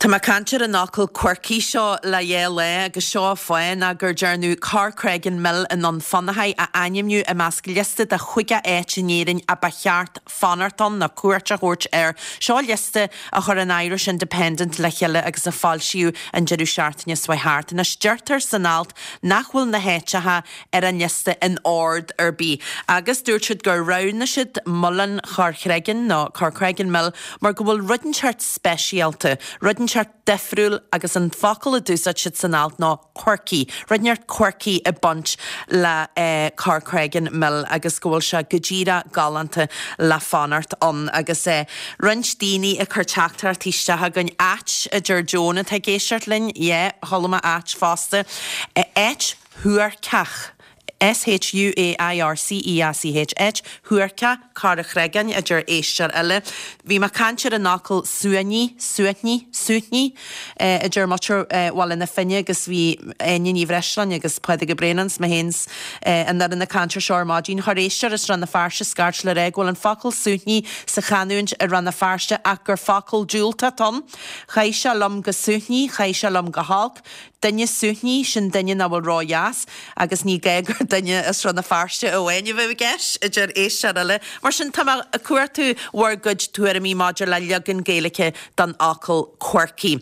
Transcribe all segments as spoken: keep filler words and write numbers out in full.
Tá mé ag caint ar an fhocal quirky seo le dhá lá agus seo an fáth ná gur dearnadh Corcreggan Mill i nDún Fionnachaidh a ainmniú i measc liosta de chúig áit in Éirinn a ba cheart fanacht ann nó cuairt a thabhairt air. Seo liosta a chuir an Irish Independent le chéile agus a foilsíodh an deireadh seachtaine seo thart. Anois deirtear san alt nach bhfuil na háiteacha ar an liosta in ord ar bith. Agus dúirt siad gur roghnaigh siad Muileann Chorrchregan nó Corcreggan Mill mar go bhfuil rud inteacht speisialta, rud inteacht difriúil agus an focal a d'úsáid siad san alt ná quirky, rud inteacht quirky ag baint le eh, Corcreggan Mill agus go bhfuil sé go díreach galánta le fanacht ann agus eh, roinnt daoine ag cur teachtaireachtaí isteach againn áit a deir Joan atá ag éisteacht linn, é chola áit fosta, eh, áit shuairceach. S H U A I R C E A C H áit shuairceach Corrachregan a deir éisteoir eile. Bhí mé ag caint ar an fhocal suaithní, suaithní, suaithní a deir muintir Bhaile na Finne agus bhí Áine Ní Bhreisleáin agus Pádraig Ó Braonáin is mé féin an fhoireann ag caint air seo ar maidin chuir éisteoir as Rann na Feirste scairt le rá go bhfuil an focal suaithní sa chanúint i Rann na Feirste ach gur focal diúltach ann. Chaith sé liom go suaithní, chaith sé liom go holc, duine suaithní sin duine nach bhfuil ródheas agus ní gá gur duine as Rann na Feirste amháin a bheith i gceist a deir éisteoir eile. Mar sin tá mé ag cuartú bhur gcuid tuairimí maidir le leagan Gaeilge den fhocal quirky.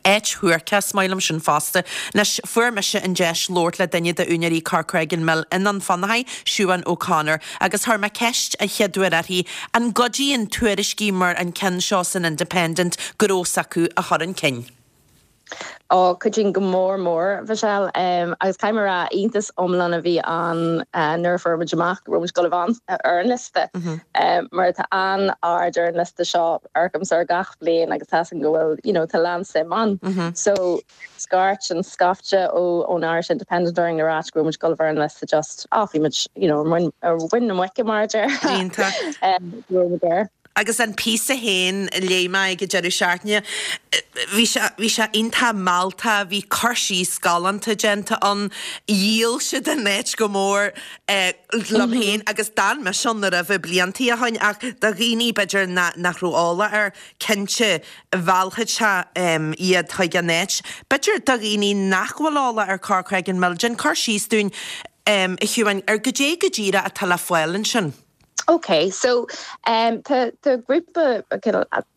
Áit shuairceach maith liom sin fosta. Anois fuair mise an deis labhairt le duine d'úinéirí Corcreggan Mill i nDún Fionnachaidh, Siobhán O'Connor, agus chuir mé ceist an chéad uair uirthi an gcuidíonn tuairiscí mar an ceann seo san Independent gnó s'acu a chur chun cinn. Ó cuidíonn go mór mór Michelle um, agus caithfidh mé rá iontas iomlán a bhí an uh, nuair a fuair muid amach go raibh muid ann ar an liosta mm -hmm. um, mar tá an-aird ar an liosta seo arcam ar gach bliain agus tá go bhfuil you know, tá an-suim ann. Mm -hmm. So scairt an scaifte ó ón Irish Independent during na rá go raibh muid ar an liosta just ah, bhí muid you know, win na muice mar um, agus an píosa féin léigh mé ag deireadh seachtaine bhí bhí sé iontach mealltach bhí cur síos galánta déanta ann dhíol siad an áit go mór eh, liom mhm. féin agus d'fhan mise ann na roimh bliantaí ó shin ach do dhaoine b'fhéidir nach raibh eolas air cinnte mheallfadh sé iad chuig an áit. B'fhéidir do dhaoine nach bhfuil eolas ar Corcreggan Mill, déan cur síos dúinn um, a Shiobhán ar goidé go díreach atá le fáil ansin. Okay, so um, tá tá grúpa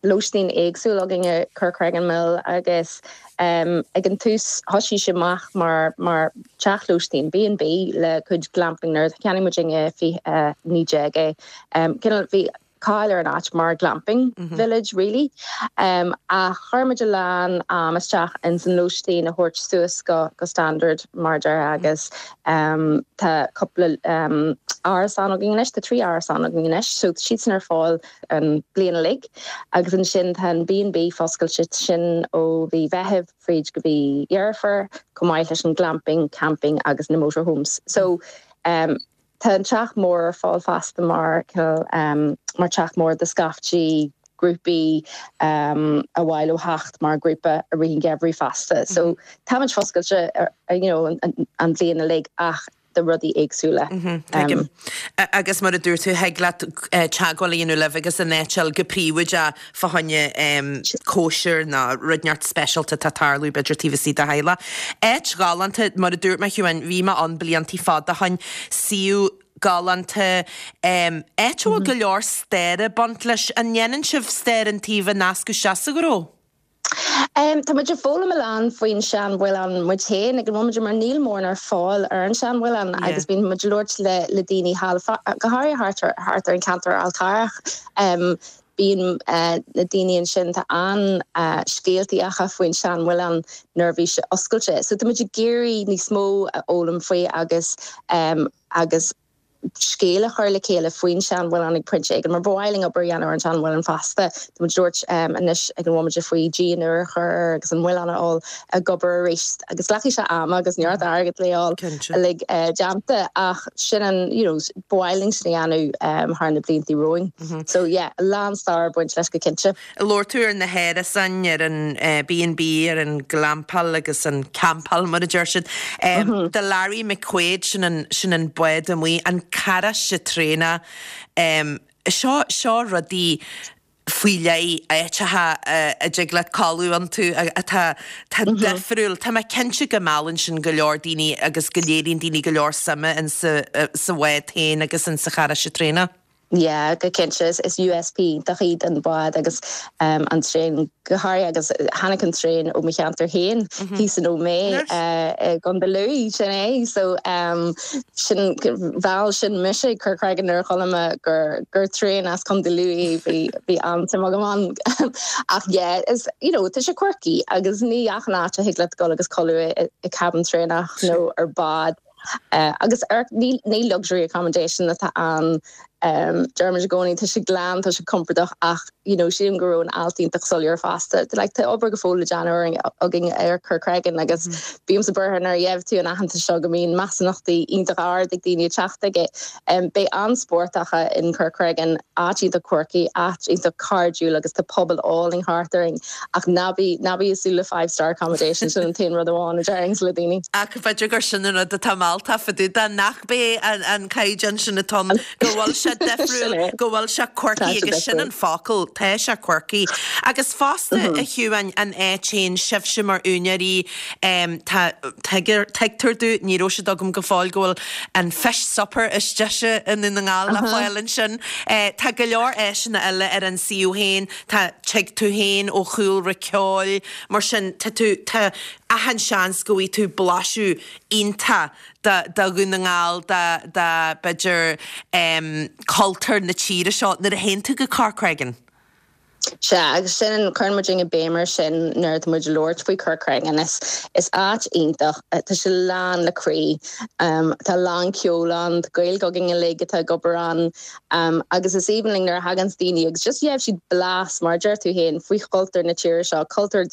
lóistín éagsúil againn i Corcreggan Mill agus um, ag an tús thosaigh sé amach mar mar teach lóistín B and B le cuid glamping nuair a cheannaigh muid in fiche uh, naoi déag é. Um, bhí cáil ar an áit mar glamping mm -hmm. village really. Um, a chuir muid a lán um, isteach in san lóistín a thabhairt suas go go standard mar deir agus um, tá cúpla um, árasán againn anois tá trí árasán againn anois, so siad sin ar fáil an bliain uilig agus ansin tá an B and B foscailte sin ó mhí Mheithimh fríd go mí Dheireadh Fómhair chomh maith leis an glamping, camping agus na motorhomes. So um, Tá an teach mór ar fáil fosta mar um, mar teach mór do scaiftí grúpaí um, a bhfuil ó theacht mar grúpa i rith an gheimhridh fosta. So mm -hmm. Tá foscailte you know, an, an bhliain uilig ach de rudaí éagsúla. Mm -hmm, um, agus mar a dúirt tú thig leat eh, teagmháil a dhéanamh libh agus an áit go príomha fá choinne um, cóisir nó rud inteacht speisialta tá tarlú b'fhéidir taobh istigh de theaghlach. Áit ghalánta mar a dúirt mé Siobhán bhí mé ann bliantaí fada ó shin suíomh galánta um, áit mm -hmm. go leor staire ag baint leis an ndéanann sibh stair an taobh a nascadh sa ghnó. Um, Tá muid ag foghlaim a lán faoin seanmhuileann muid féin ag an bhomaite mar níl mórán ar fáil ar an seanmhuileann yeah. agus bíonn muid ag labhairt le le daoine go háirithe thart ar an ceantar Fhál Carrach. Um, bíonn uh, na daoine ansin tá an uh, scéaltaí acu faoin seanmhuileann nuair bhí sé oscailte. So tá muid ag iarraidh níos mó a fhoghlaim faoi agus um, agus scéal a chur le chéile faoin seanmhuileann ag pointe éigin mar bhhaling obair dhéanamh ar an seanmhuileann fosta dúirt um, anois ag an bhomaite faoi díon a chur agus an muileann á a gobar arís agus glacfaidh sé am agus neart airgead le uilig uh, déanta ach sin an you know, bhhaling sin dhéanamh um, thar na blianta romhainn. Mm -hmm. So yeah, lán stair ag baint leis go cinnte. Labhair tú ar na hárasáin ar an uh, B and B ar an glampáil agus an campáil mar a deir siad. Um, mm -hmm. The Larry McQuaid sin an, sin an bád amuigh an carráiste traenach um, seo seo rudaí faoi leith áiteacha a dtig leat codladh iontu atá tá difriúil. Tá mé cinnte go meallann sin go leor daoine agus go léiríonn daoine go leor suime in sa sa bhád féin agus in sa charráiste traenach. Yeah, go cinnte is, is USP iontach iad an bád agus um, an traein go háirithe agus tháinig an traein ó mo cheantar féin thíos in Ó Méith uh, gContae Lú sin é so um, sin bhal sin mise Corcregan ar cholma gur gur traein as Contae Lú bhí bhí an-suim agam ann ach yeah is you know tá sé quirky agus ní achan áit a thig leat dul agus codladh i, i cabin traenach nó ar bád. Uh, agus ar ní, ní luxury accommodation atá an um, Dermid gcóí tá sé glan tá sé compordach ach you know, sílim go raibh an alt iontach soiléir fosta. Like, tá obair go fóill le déanamh againn ar Corcregan agus mm. bímse buartha nuair a gheibh tú an aitheantas seo go mbíonn measúnachtaí iontach ard ag daoine teacht aige. Um, Beidh an-sportacha in Corcregan áit iontach quirky, áit iontach cairdiúil agus tá pobal álainn thart orainn ach ná bí ná bí ag súil le five star accommodation sin an t-aon rud amháin a déarfainn le daoine. Ach b'fhéidir gur sin an rud atá mealltach fá dtaobh de nach bé an, an caighdeán sin atá go bhfuil sé difriúil go bhfuil sé quirky agus sin an focal tá sé quirky. Agus fosta a Shiobháin an áit féin sibhse mar úinéirí tá tuigtear domh ní raibh sé agam go fóill go bhfuil an fish supper is deise i nDún na nGall le fáil ansin. Tá go leor áiseanna eile ar an suíomh féin, tá tig tú féin ó chúlra ceoil, mar sin tá tú tá achan seans go bhfaighidh tú blaiseadh iontach de de Dhún na nGall de de b'fhéidir um, cultúr na tíre seo nuair a théann tú go Corcregan. Sea agus sin cuireann muid béim air sin nuair atá muid ag labhairt faoi Corcregan is is áit iontach tá sé lán le croí um, tá lán ceol ann Gaeilge againn uilig atá ag obair ann um, agus is aoibhinn linn nuair a thagann daoine agus just gheibh siad blas mar deir tú féin faoi chultúr na tíre seo cultúr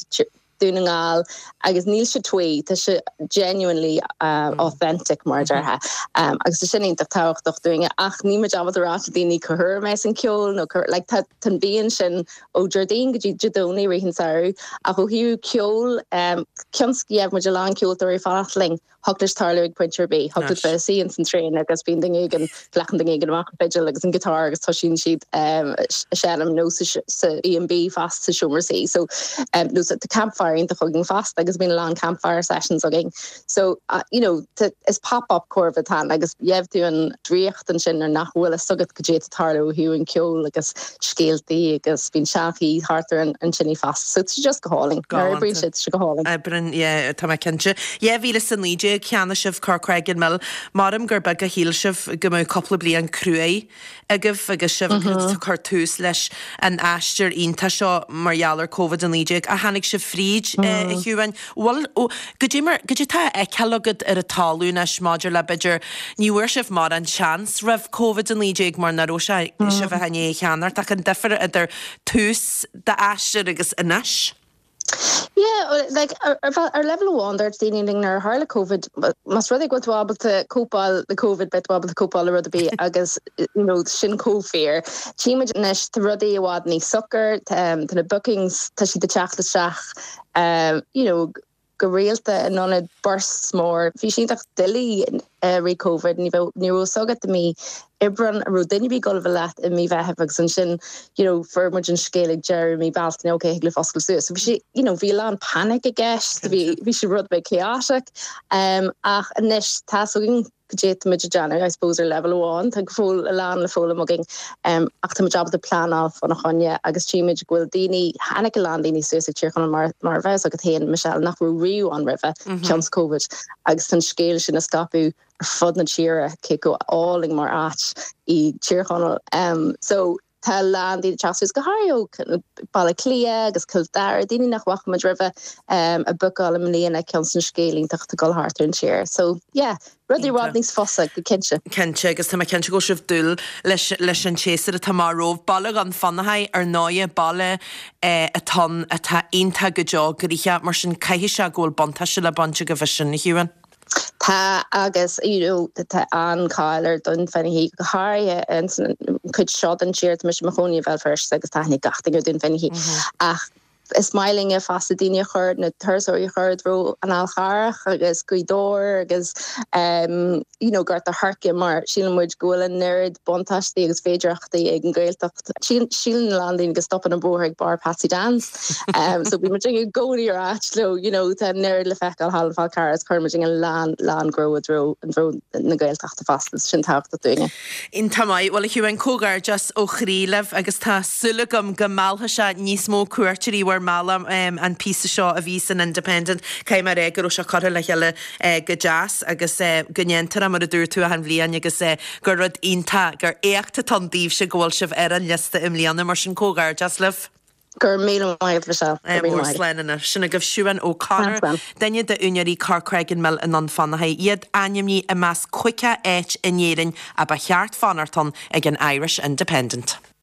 Dún na nGall agus níl sé twee tá sé genuinely uh, mm. authentic mar déarfá um, agus sin iontach tábhachtach dúinne ach ní muid ábalta rá daoine cá huair mé an ceol nó like, tá an bíonn sin ó Déardaoin go dtí Dé Domhnaigh i rith an samhradh ach ó thaobh ceol um, cionn muid a lán ceoltóirí fanacht linn thig leis tarlú ag pointe ar bith thig bheith sí an san traein agus bíonn duine éigin glacann duine éigin amach an fidil agus an guitar agus toisíonn siad um, seinm nó sa B&B fosta sa seomra suí so um, nó tá campfire iontach againn fosta agus bíonn lán campfire sessions againn so uh, you know is pop-up cóir tan agus gheibh tú an draíocht ansin ar nach bhfuil a fhios agat goidé atá ag tarlú ó thaobh an ceol agus scéaltaí agus bíonn seanchaí thart an an tine fosta so it's just go hálainn Oibríonn sé go hálainn. Oibríonn tá mé cinnte. Dhá mhíle is a naoi déag cheannaigh sibh Corcregan Mill, Maram gur beag a shíl sibh go mbeadh cúpla bliain cruaidh agaibh agus sibh ag cur tús leis an aistear iontach seo mar gheall ar Covid a naoi déag a tháinig sibh fríd a Shiobháin. Bhfuil goidé mar goidé tá á fheiceáil agat ar an talamh anois maidir le b'fhéidir ní bhfuair sibh mar an seans roimh Covid a naoi déag mar nach raibh sé sibh a cheannacht cheana ach an difear idir tús d'aistear agus anois. Yeah, like ar ar level amháin dúirt daoine linn nuair a tharla COVID más rud é go bhfuil tú ábalta cóipeáil le COVID beidh tú ábalta cóipeáil le rud ar bith agus you know, sin chomh fíor. Tímid anois tá rudaí i bhfad níos socair tá na bookings tá siad ag teacht isteach um, you know, go rialta in ionad bursts mór. Bhí sé iontach doiligh uh, roimh COVID ní ní raibh a fhios agat i mí Aibreáin an raibh duine ar bith ag gabháil a bheith leat i mí Mheithimh agus ansin you know, fuair muid an scéal ag deireadh mí Bealtaine okay le foscail suas. So bhí sé you know, bhí lán panic i gceist, bhí bhí sé rud beag chaotic um, ach anois tá againn goidé muid ag déanamh I suppose ar level amháin tá go fóill a lán le foghlaim againn um, ach tá muid ábalta pleanáil fána choinne agus tímid go bhfuil daoine tháinig a lán daoine suas ag Tír Chonaill mar mar bheas agat féin Michelle nach raibh riamh ann roimhe mm -hmm. cionn is COVID agus an scéal sin a scaipeadh ar fud na tíre cé chomh álainn mar áit í Tír Chonaill um, so tá lán daoine teacht go háirithe Baile Átha Cliath agus Cill Dara daoine nach bhfaca muid roimhe um, a bookáil i mbliana cionn is an scéal iontach ag dul thart ar an tír. So yeah, rudaí i bhfad níos fusa go cinnte. Cinnte agus tá mé cinnte go sibh dúil leis leis an séasúr atá amach romhaibh Baile Dhún Fionnachaidh ar ndóigh baile eh, atá atá iontach go deo gnoitheach mar sin caithfidh sé go bhfuil buntáiste le baint agaibh as sin a Shiobháin. Tá agus you know, tá an-cháil ar Dún Fionnachaidh go háirithe an chuid seo den tír mis mo chóí bhil first agus taitní gachting ar Dún Fionnachaidh ach Is maith linne fosta daoine a chur na turasóirí a chur i dtreo an Fhál Charrach agus Gaoth Dobhair agus um, you know, Gort a' Choirce mar síleann muid go bhfuil an oiread buntáistí agus féidearthachtaí ag an Ghaeltacht. Síleann a lán daoine go stopann an bóthar ag barr Patsy Dans. Um, so bíonn muid i gcónaí ar ait leo, you know, tá an oiread le feiceáil thall an Fál Carrach cuireann muid an lán lán gnó i dtreo an dtreo na Gaeltachta fosta sin tábhachtach dúinne. Iontach maith bhuel a Shiobhán comhghairdeas ó chroí libh agus tá súil agam go meallfaidh sé níos mó cuairteoirí bhur mbealach um, an píosa seo a bhí san Independent Caithfidh mé rá go raibh sé curtha le chéile uh, go deas agus uh, go ndéantar mar a dúirt tú an bhliain agus uh, gur rud iontach gur éacht atá ann daoibhse go bhfuil sibh ar an liosta i mbliana mar sin comhghairdeas libh. Gur míle maith Michelle. Mór sin agaibh Siobhán O'Connor, duine d'úinéirí Corcreggan Mill i nDún Fionnachaidh, iad ainmnithe i measc caoga áit in Éirinn a ba cheart fanacht ann ag an Irish Independent.